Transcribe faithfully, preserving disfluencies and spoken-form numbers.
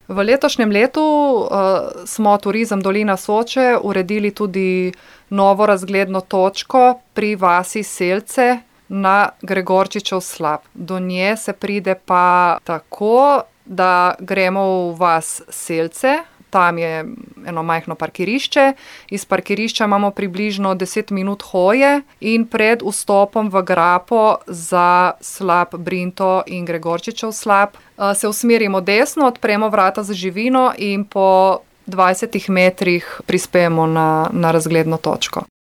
V letošnjem letu uh, smo Turizem Dolina Soče uredili tudi novo razgledno točko pri vasi Selce na Gregorčičev slap. Do nje se pride pa tako, da gremo v vas Selce, tam je eno majhno parkirišče, iz parkirišča imamo približno deset minut hoje in pred vstopom v grapo za slap Brinto in Gregorčičev slap se usmerimo desno, odpremo vrata za živino in po dvajsetih metrih prispemo na, na razgledno točko.